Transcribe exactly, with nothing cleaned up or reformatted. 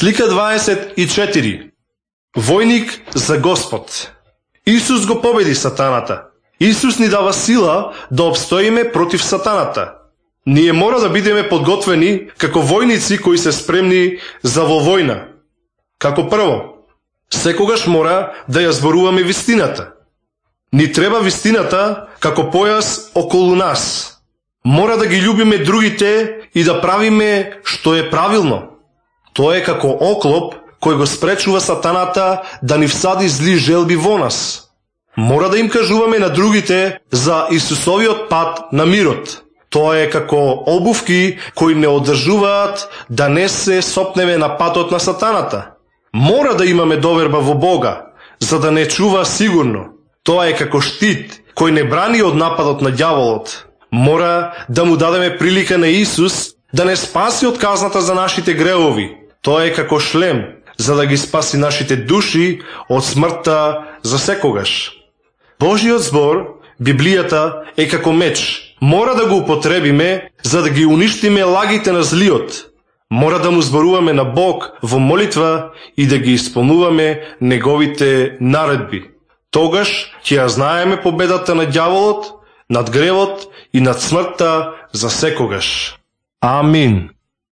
Слика дваесет и четири. Војник за Господ. Исус го победи сатаната. Исус ни дава сила да обстоиме против сатаната. Ние мора да бидеме подготвени како војници кои се спремни за во војна. Како прво, секогаш мора да ја зборуваме вистината. Ни треба вистината како појас околу нас. Мора да ги љубиме другите и да правиме што е правилно. Тоа е како оклоп кој го спречува сатаната да ни всади зли желби во нас. Мора да им кажуваме на другите за Исусовиот пат на мирот. Тоа е како обувки кои не одржуваат да не се сопнеме на патот на сатаната. Мора да имаме доверба во Бога, за да не чува сигурно. Тоа е како штит кој не брани од нападот на ѓаволот. Мора да му дадеме прилика на Исус да не спаси од казната за нашите гревови. Тоа е како шлем, за да ги спаси нашите души од смртта за секогаш. Божиот збор, Библијата, е како меч. Мора да го употребиме, за да ги уништиме лагите на злиот. Мора да му зборуваме на Бог во молитва и да ги исполнуваме неговите наредби. Тогаш ќе ја знаеме победата на ѓаволот, над гревот и над смртта за секогаш. Амин.